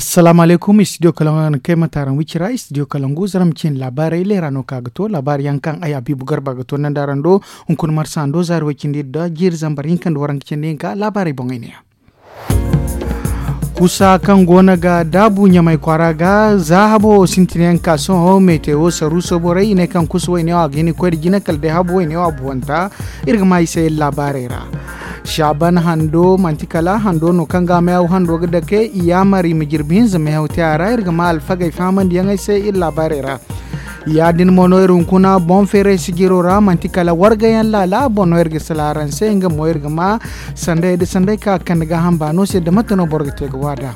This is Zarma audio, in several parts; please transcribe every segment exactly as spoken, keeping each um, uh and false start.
Salaamu alaykum, istidiyo kalaŋ araŋ kay ma taaraŋ wicira istidiyo kalaŋ gu zaram cin laabaarey leera no ka ga to laabaari yaŋ kaŋ ay abiibu garba ga to nandaaran do. Hunkuna marsa ando zaari way cindi da jiiri zambar hinka nda waranka cindi hinka laabaarey boŋey ne ya. Kusa kaŋ go no ga daabu ɲamay kwaara ga za habo sintina yaŋ ka sohõ metewo saruuso borey i ne kaŋ kusa wayne wo a ga hin ga koy nda jina kala day habo wayne wo a buwanta. Iri ga ma i se iri laabaarey ra. Saaban hando manti kala hando no kaŋ ga a mayaw hando ga dake i yaamar i ma jirbi hinza mehaw te a ra iri ga ma alfagey fahamandiyaŋey se iri laabaarey ra. Ya- din mo no iri hunkuna boŋ feeray sijiro ra manti kala warga yaŋ laala boŋ no iri ga sala araŋ se nga mo iri ga ma sanday nda sanday kaŋ a ga kande gaaham baano se nda mate no boro ga te ga waada.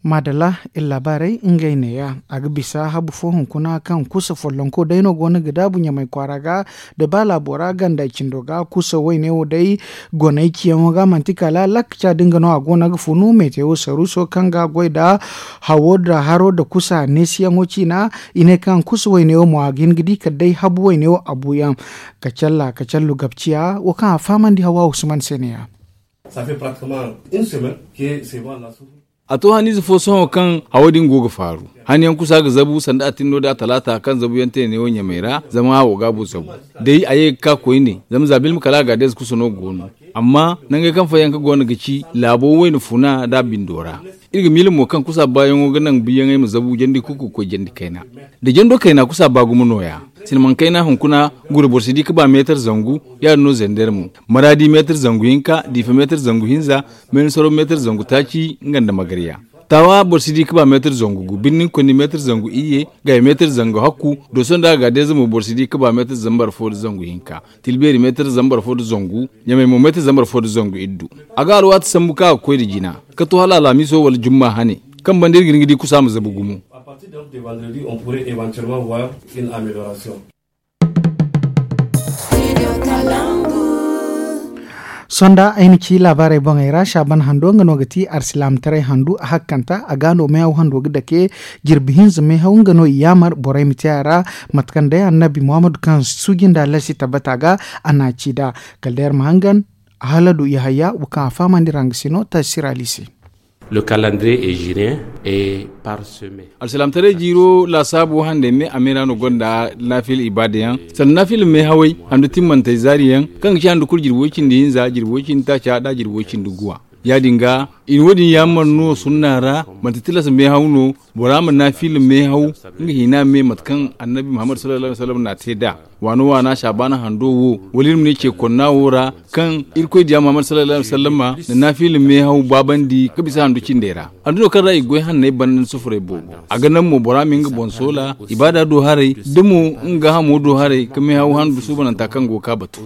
Maadalla, iri laabaarey ngey neeya. A ga bisa habu fo hunkuna kaŋ kusa follonko day no go no ga daabu ɲamay kwaara ga, da ba laabo ra ganda cindo ga kusa wayne wo day goney ciyaŋo ga manti kala lakka ca din ga no a go no ga funu metewo saruuso kaŋ ga goy nda hawo nda haro nda kusa neesiyaŋo ciina. I ne kaŋ kusa wayne wo mo a ga hin ga di kala day habu wayne wo a buuyaŋ. Kacalla kacallu gabciya wo kaŋ a fahamandi hawa usman se neeya. A to haniize fo sohõ kaŋ hawo din go ga faaru. Haniyaŋ kusa ga zabu sanda a tinno da talaata kaŋ zabuyaŋ te neewo ɲamay ra zama hawo gaabo zabu. Day a ye ga ka koyne zama za bilma kala a ga deeze kusa no go no. Amma nangey kaŋ fayyaŋ ka go no ga ci laabo wayna funa da bindo ra. Iri ga miila mo kaŋ kusa baayaŋo ga naŋ biyaŋey ma zabu jandi kuku ga koy jandi kayna. Da jando kayna kusa ba gumo nooya. Silmaŋ kayna hunkuna gure boro si di ga ba meetar zangu. Ya- din no zender mo. Maraadi meetar zangu hinka diifa meetar zangu hinza. Meensaro meetar zangu taaci nga nda magarya. Taawa boro si di ga ba meetar zangu gu birnin konni meetar zangu iyye. Gaya meetar zangu hakku. Dooso nda a ga deeza mo boro si di ga ba meetar zambar fo nda zangu hinka. Tilbeeri meetar zambar fo nda zangu. Ɲamay mo meetar zambar fo nda zangu iddu. A ga alwaati sambu kaŋ a ga koy nda jina ka to hala alhamiiso wala jumma hane. Kaŋ banda iri ga hin ga di kusa ma zabu gumo. Sonda ay na ci laabaarey boŋey ra saaban hando nga no ga ti arsilaamataray handu a hakkanta a ga no meehaw hando ga dake. Jirbi hinza meehaw nga no i yaamar borey ma te a ra. Mate kaŋ day annabi muhammadu kaŋ suuji nda lasi tabbata ga a na a ci nd'a. Kala day iri ma hangan haladu yahaya wo kaŋ a fahamandi ra nga si no taasi sira liise. Le calendrier est jurien et parsemé. Alsilaamataray jiiro laasaabu hande me a me ra no gonda naafila ibaada yaŋ. Sanda naafila meehawey handu timmantey zaari yaŋ kaŋ ga ci handu kulu jirbi way cindi hinza jirbi way cindi taaca nda jirbi way cindi guwa. Ya- din ga i na wo- din yaamar no sunna ra. Manti tilas meehaw no bora ma naafila meehaw. Nga hina me mate kaŋ annabi muhammad sallallahu alaihi wasallam na a te nd'a. Waana waana saabaana hando wo wala iri ma ne ce konna wo ra kaŋ irkoy diya muhammad sallallahu alaihi wasallama na naafila meehaw baabandi ga bisa handu cindey ra. Handu no kaŋ ra i ga goy hanney banda nda sufuray boobo. A ga naŋ mo bora ma nga boŋ soola ibaada do haray da mo nga gaahamo do haray ga meehaw handu suubananta kaŋ go ga ka batu.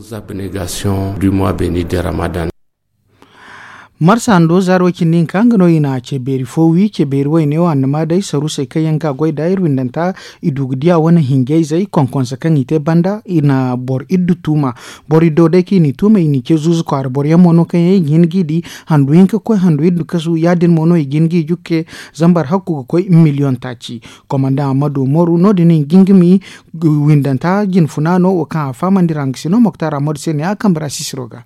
Marsa hando zaaro cindi hinka nga no i na ce beeri fo wi ce beeri wayne wo annama day saruusey kaŋ yaŋ ga goy nda iri windanta. I du ga diya wane hinjayzey konkonse kaŋ i te banda i na boro iddu tuuma. Boro iddo day kaŋ i n'i tuuma i n'i ce zuuzu kwaara boro yaŋ mo no kaŋ yaŋ i ga hin g'i di. Handu hinka ga koy handu iddu kasu ya- din mo no i ga hin g'i jukke. Zambar hakku ga koy miliyoŋ taaci. Komandaŋ ammadu umaru no- din i ga hin ga mi windanta jinfuna no wo kaŋ a fahamandi ra nga si no moktar ammadu se ne a kambe ra sisiro ga.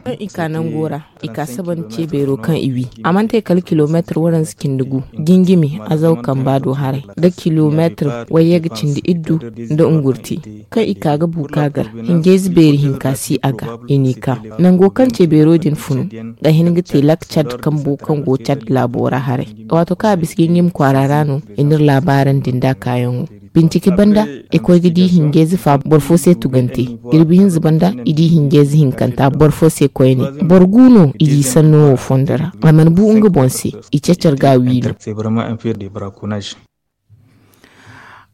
Kaŋ i ka nango ra i ka sabandi ce beero kaŋ i wi. A mana te kala kilomeetir waranza cindi gu. Jingimi azaw kamba do haray da kilomeetir wayye ga cindi iddu nda ngurti. Kaŋ i ka ga bu ka gar hinjayze beeri hinka si a ga i n'i ka. Nango kaŋ ce beero din funu ga hin ga te lak cad kambo kaŋ go cad laabo ra haray. Waato kaŋ a bisa jingimi kwaara ra no i n'iri laabaarandi nd'a kaayaŋo. Bincike banda i koy ga di hinjayze fa boro fo se tugante. Jirbi hinza banda i di hinjayze hinkanta boro fo se koyne. Boro gu no i di sanno wo fondo ra a mana bu nga boŋ se. I cacar ga a wiino.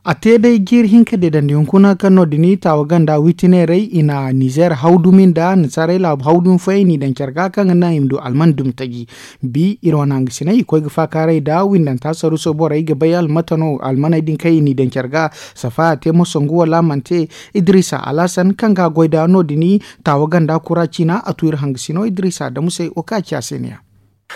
A te day jiiri hinka deedandi hunkuna kaŋ no- din i taawa ganda witineerey i na nizeer haw dumi nda annasaarey laabu haw dumi fooyaŋ i n'i daŋ care ga kaŋ ga naŋ i ma du alman dumi taji. Bi iri wane hangasiney i koy ga faakaaray nda windanta saruuso borey ga bay almata no almaney din kaŋ i n'i daŋ care ga. Safa a te mo sangu wala a mana te. Idiriisa alhasan kaŋ ga a goy nda no- din i taawa ganda kura ciina a tu iri hangasino idiriisa adamu se wo kaŋ a ci a se ne ya.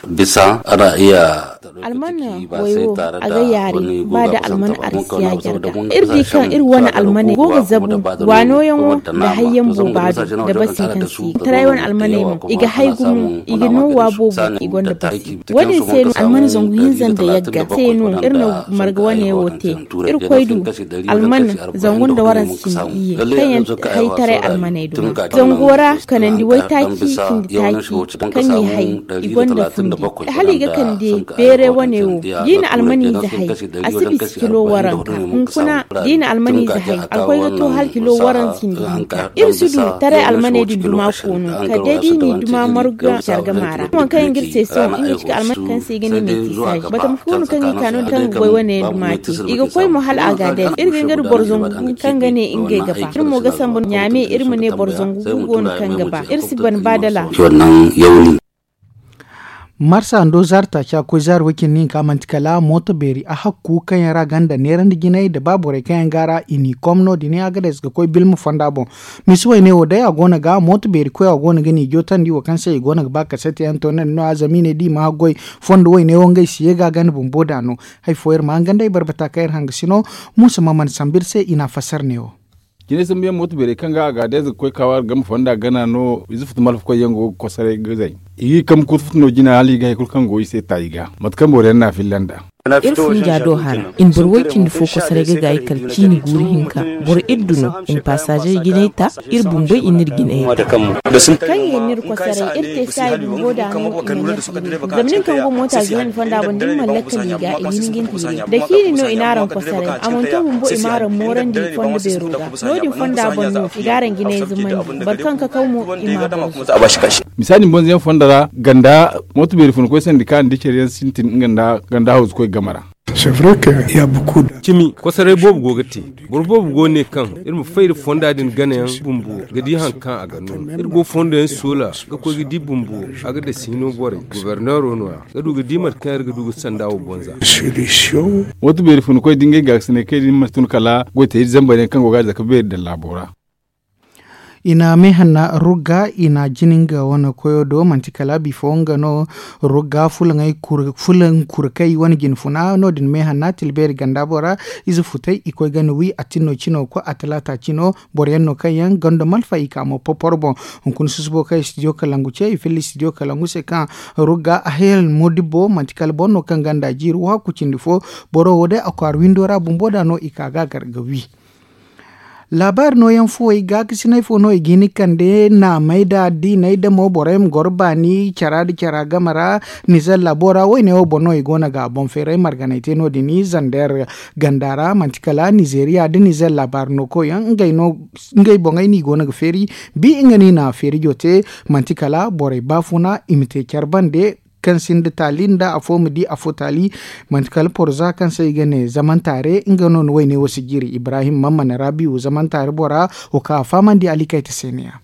Bisa ana iya alman wayo a ga yaari ba da alman arsiya jarga. Iri di kaŋ iri wane almaney go ga zabu waano yaŋo nda hayyaŋ booba do nda basi kaŋ si taray wane almaney mo i ga hay gumo i ga no wa boobo i gonda basi. Wo- din se no alman zangu hinza nda yagga se no iri na marga wane wo te. Iri koy du alman zangu nda waransa cindi iyye kaŋ yaŋ hay taray almaney duma zango ra kanandi waytaaci cindi taaci kaŋ i hay i gonda fundi. Hala i ga kande beere wane wo da i na almaniize hay a si bisa kilo waranka. Hunkuna da i na almaniize hay alkoy ga to hala kilo waranka cindi hinka. Iri si du taray almaney din duma koono kala day da i n'i duma marga care gama ra waŋ kaŋ yaŋ ga iri se sohõ nga ci ka almaney kaŋ se i ga ne metisaaji batama fo no kaŋ i ka no kaŋ ga goy wane yaŋ duma te. I ga koy mo hala a ga a day iri ga nga da boro zangu kaŋ ga ne ngey ga ba iri mo ga sambu ɲaame iri ma ne boro zangu gu go no kaŋ ga ba iri si ban ba dala. Marsa ndo zaari taaci a koy zaari way cindi hinka manti kala mooto beeri a hakku kaŋ yaŋ ra ganda neerandi jinay nda ba borey kaŋ yaŋ go a ra i n'i kom no- din a ga day ga koy bilma fonda boŋ. Misi wayne wo day a go no ga mooto beeri koy a go no ga n'i jootandi wo kaŋ se i go no ga ba kasete yaŋ toonandi no- ya zama i ne da i ma haggoy fondo wayne wo ngey si ye ga a ganda bumbo da no. Hari fo iri ma hangan day barbata kaŋ iri hanga sino. Muusa ma mana sambu iri se i n'a fassara ne wo. Jinay sambu yaŋ mooto beerey kaŋ ga a ga day za ga koy kaawa game fonda gana no ize futu malfa koy yaŋ go ga kosaray ga zay. I ga i kambe kutu futu no jina hala i ga hari kulu kaŋ go i se ta i ga mate kaŋ boro yaŋ n'a filla nd'a. Iri funja do hara i na boro way cindi fo kosaray ga gaayi kala ciini guuru hinka. Boro iddu no i na paasaaze jinay ta. Iri bumbey i n'iri jinay ta. Kaŋ i n'iri kosaray iri te saayi bumbo da no i na n'iri zama nin kaŋ go moota zunandi fonda boŋ da ni mana lakkal i ga i ga hin ga ni hiiri da ciini no i n'araŋ kosaray a mana to bumbo i m'araŋ moorandi fondo beero ga. No- din fonda boŋ no i ga araŋ jinay zumandi boro kaŋ kakaw mo i m'a boŋ. Misaali ni bonzo yaŋ fondo ra ganda mooto beeri funa koy sandi kaŋ a na di care yaŋ sintin nga nda ganda hawzu koy game ra. Cimi kosaray boobo go ga te. Boro boobo go ne kaŋ iri ma fay nda fonda din ganayaŋ bumbo ga di hari kaŋ a ga no. Iri go fondo yaŋ soola ga koy ga di bumbo a ga dasi hino borey goborneero no- ya ga du ga di mate kaŋ iri ga du ga sanda wo bonza. Mooto beeri funa koy da ngey gaakasinay kaŋ i din ma tun kala goy te iri zambar yaŋ kaŋ go ga a zaka beeri daŋ laabo ra. I na meehanna rugga i na jina nga wane koyo do manti kala bifo nga no. Rugga fulaŋ kurkay wane jinfuna no- din meehanna tilbeeri ganda bora. Ize futay i koy gana wi a tinno cino koy a talaata cino. Boro yaŋ no kaŋ yaŋ ganda malfa i ka mo popor boŋ. Hunkuna susubo kaŋ studio kalangu ce i filla studio kalangu se kaŋ rugga a hayal modibbo manti kala boro no kaŋ ganda jiiri wo hakku cindi fo. Boro wo day a kwaara windo ra bumbo da no i ka ga gar ga wi. Laabaari nooyaŋ fuwey gaakasinay fo no i ga hin ga kande naamey da diiney da mo borey ma goro baani cara nda cara game ra. Nizer laabo ra wayne wo boŋ no i go no ga a boŋ feeray marganay te no- din zander ganda ra manti kala nizeriya nda nizer laabaari no koyyaŋ ngey boŋey no i go no ga feeri. Bi nga no i na feerijo te manti kala borey baafuna i ma te care bande kaŋ sinda taali nda afo ma di afo taali. Manti kala porza kaŋ se i ga ne zamantaare nga no na wayne wo si jiiri ibrahim mammane rabiu zamantaare bora wo kaŋ a fahamandi alikayta se ne ya.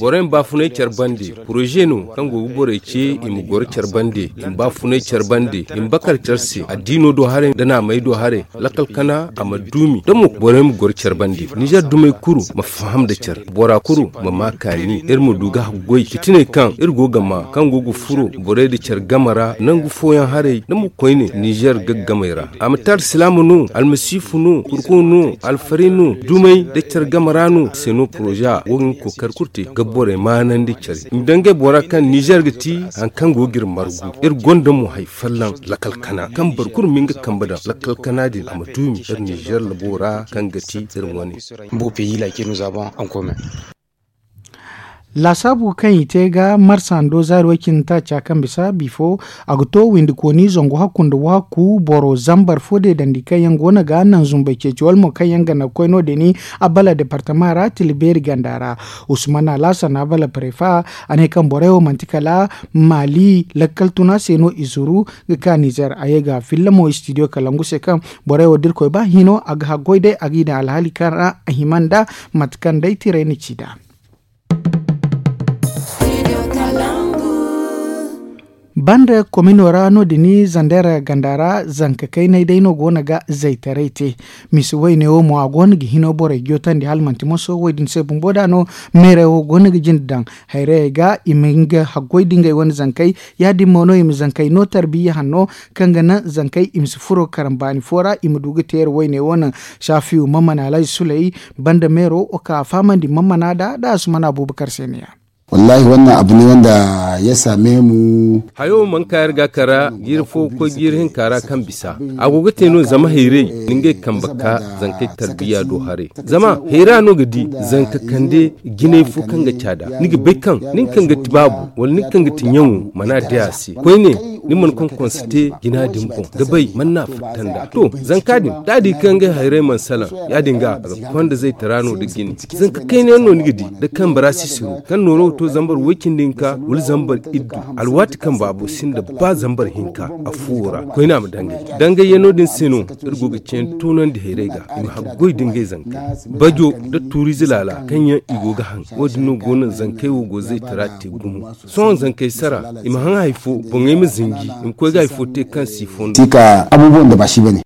Borey ma baafunay care bande poroze no kaŋ go ga borey ce i ma goro care bande i ma baafunay care bande i ma bakar care se addiino do haray nda naamey do haray. Lakkal kana a ma duumi da mo borey ma goro care bande nizer dumey kulu ma faham nda care bora kulu ma ma kaani iri ma du ga haggoy fitiney kaŋ iri go ga ma kaŋ go ga furo borey nda care game ra nangu fooyaŋ haray da mo koyne nizer gaggamey ra a ma te alsilaama no almasiifu no kurko no alfaray no dumey nda care game ra no se no poroza wo ga nga kookari kulu te ga borey maanandi care i ma daŋ ngey bora kaŋ nizer ga ti hari kaŋ go ga iri margu iri gonda mo hari folloŋ lakal kana kaŋ boro kulu ma nga kambe daŋ lakal kana din a ma duumi iri nizer labo ra kaŋ ga ti iri wane. Laasaabu kaŋ i te ga marsando zaari way cindi taaca kaŋ bisa bifo a ga to windikooni zangu hakku nda wahakku boro zambar fo deedandi kaŋ yaŋ go no ga naŋ zumbay ceeci wala mo kaŋ yaŋ ga naŋ ga koy no- din abala departama ra tila beeri ganda ra. Usman alaasan abala prefa a ne kaŋ borey wo manti kala maali lakkal tuna se no i zuru ga ka nizer a ye ga filla mo istidiyo kalangu se kaŋ borey wo da irkoy ba hino a ga haggoy day a ga i daŋ alhaali kaŋ ra a hima nda mate kaŋ day tiray na ci nd'a. Banda komino ra no- din zander ganda ra zanka kaynay day no go no ga zaytaray te. Misi wayne wo mo a go no ga hino borey jotandi hala manti moso wo- din se bumbo da no meerey wo go no ga jinde daŋ hayrayey ga i ma nga haggoy da ngey wane zankey. Ya- din mo no i ma zankey no tarbiya hanno kaŋ ga naŋ zankey i ma si furo karambaani fo ra i ma du ga teeri wayne wo no. Saafiyu mammana alhaji suley banda meero wo ka a fahamandi mammana da da a sumana abubakar se ne ya. Wallahi wannan abu ne wanda ya same mu. Hayo man ka yar ga kara jiiri fo ga koy jiiri hinka ra kaŋ bisa a go ga te no zama hayray ni ngey kambe ka zankey tarbiya do haray. Zama hayra no ga di zanka kande jinay fo kaŋ ga caada ni ga bay kaŋ nin kaŋ ga ti baabu wala nin kaŋ ga ti ɲaŋo mana day a se koyne. Ni mana konkonse te jina din boŋ ga bay man no a fatta nd'a to zanka din da a di kaŋ ngey hayray mana salaŋ. Ya- din ga a ga konda zaytara no nda jine. Zanka kayna yaŋ no ni ga di nda kambe ra sisiro kaŋ nooro ga to zambar way- cindi hinka wala zambar iddu. Alwaati kaŋ baabo sinda ba zambar hinka afoowo ra koyne a ma dangay. Dangayyaŋo din se no iri go ga ceeni toonandi hayray ga i ma haggoy nda ngey zankey bajo nda tuuriize laala kaŋ yaŋ i go ga haŋ. Wo- din no go naŋ zankey wo go zaytara te gumo. Sohõ zankey sara i ma haŋ hari fo boŋey ma zinji i ma koy ga hari fo te kaŋ si fondo. Sika abubuwan da ba shi ba ne.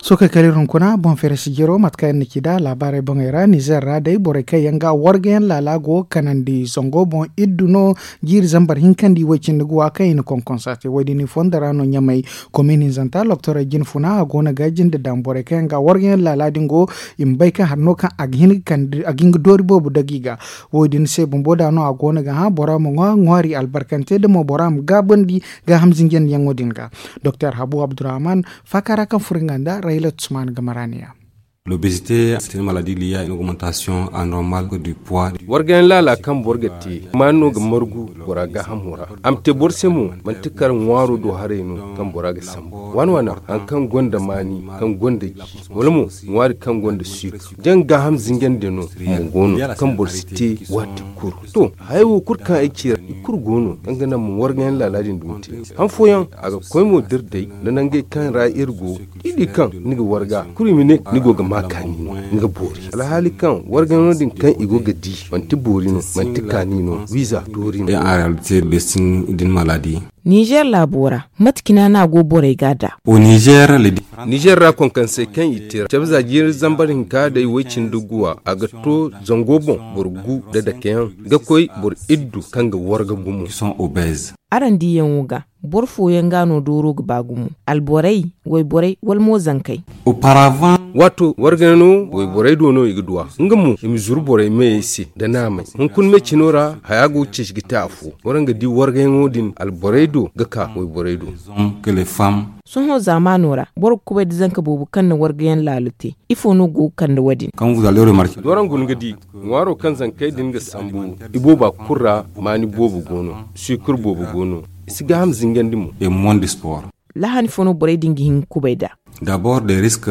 Sookey kala iri hunkuna boŋ feere sijiro mate kaŋ iri na ci nd'a laabaarey boŋey ra nizer ra day borey kaŋ yaŋ ga wargayaŋ laala go ga kanandi zango boŋ iddu no. Jiiri zambar hinka nda i way- cindi ga wa kaŋ i na konkonsa te wo- din i fondo ra no ɲamay komin hinzanta loktorey jine funa a go no ga jinde daŋ borey kaŋ yaŋ ga wargayaŋ laala din go. I ma bay kaŋ hari no kaŋ a ga hin ga doori boobo dagi ga. Wo- din se bumbo da no a go no ga hã bora ma ŋwa ŋwaari albarkante da mo bora ma gaabandi gaaham zinjandiyaŋo din ga. Doktor habu abdurrahman faaka ra kaŋ furo nga nda rayla tusman ga maraaniya. L'obésité c'est une maladie liée à une augmentation anormale du poids. Wargayaŋ laala kaŋ boro ga te maani no ga margu bora gaahamo ra. A ma te boro se mo manti kar ŋwaaro do haray no kaŋ bora ga sambu waana waana hari kaŋ gonda maani kaŋ gonda ji wala mo ŋwaari kaŋ gonda suukar jaŋ gaaham zinjandi no mo go no kaŋ boro si te waati kulu. To hayey wo kulu kaŋ ay ci ra i kulu go no kaŋ ga naŋ ma wargayaŋ laala din dumi te. Han fooyaŋ a ga koy mo da iri day nda nangey kaŋ ra iri go da i di kaŋ ni ga warga kulu i ma ne ni go ga ma kaani no ni ga boori alhaali kaŋ wargayaŋo din kaŋ i go ga di manti boori no manti kaani no wiiza doori no. Nizer laabo ra mate cine no a go borey ga a da? Nizer ra konkansey kaŋ i te cabe za jiiri zambar hinka day woy-cindi guwa a ga to zango boŋ boro gu nda dakeyaŋ ga koy boro iddu kaŋ ga warga gumo. Araŋ diiyaŋo ga boro fooyaŋ ga no dooro ga ba gumo alborey wayborey wala mo zankey? Waato wargayno wayborey do no i ga duw'a nga mo i ma zuru borey meyey se nda naamey. Hunkuna me cino ra haya go ga ceeci ga te afo. Waraŋ ga di wargayŋo din alborey do ga ka wayborey do. Sohõ zaamaano ra boro ga kubay nda zanka boobo kaŋ na wargayaŋ laalo te. Ifo no go ga kande wo- din? D'araŋ guna ga di ŋwaaro kaŋ zankey din ga sambu ibooba kulu ra maani boobo go no. Suukar boobo go no. I si gaaham zingandi mo. Lahani fo no borey din ga hin ga kubay nd'a? D'abord des risques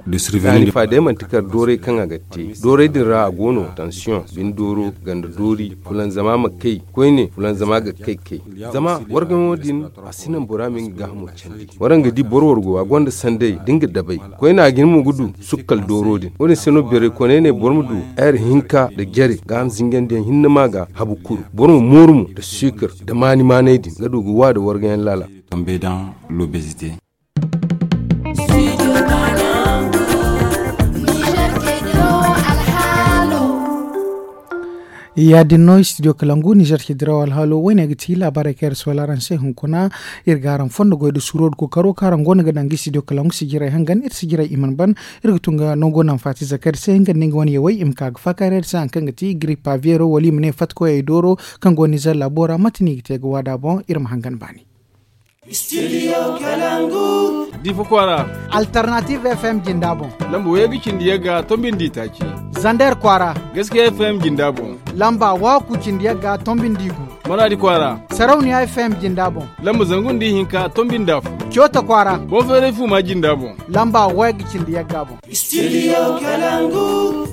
de survenir. Fa day manti kar doorey kaŋ a ga te doorey din ra a go no tansiyoŋ bine dooro ganda doori fulanzama ma kay koyne fulanzama ga kay kay. Zama wargayaŋo din a si naŋ bora ma nga gaahamo candi. Waraŋ ga di boro wargo a gonda sanday da nga dabay koyne a ga hin mo ga du sukkal dooro din wo- din se no beeray koney ne boro ma du heer hinka nda jare gaaham zingandiyaŋ hinne ma ga habu kuru boro ma mooru mo nda suukar nda maani maanay din ga du ga wa nda wargayaŋ laala. Ya- din no studio kalangu nizer ci diraw alhaalo wo- ne ga ti laabaarey kaŋ iri si wala araŋ se hunkuna. Iri ga araŋ fondo goy nda suuro nda kookaro kaŋ araŋ go no ga daŋ ga studio kalangu sijirey hangan iri sijirey i mana ban. Iri ga tun ga nango naŋ faati zakari se nga nda nga wane yawey i ma ka ga faakaaray iri se hari kaŋ ga ti giripa veero wala i ma ne fatikoyey dooro kaŋ go nizer laabo ra mate no i ga te ga waada boŋ iri ma hangan baani. Studio kalangu. Difa kwaara. Alternative fm jinda boŋ. Lamba wayey ga cindi yagga tombindi taaci. Zander kwaara. Gaskiya fm jinda boŋ. Lamba waaku cindi yagga tombindi gu. Maradi kwaara. Sarauniya fm jinda boŋ. Lamba zangu nda ihinka tombindi afo. Coota kwaara. Boŋ feeray fuuma jinda boŋ. Lamba wayey ga cindi yagga boŋ. Studio kalangu.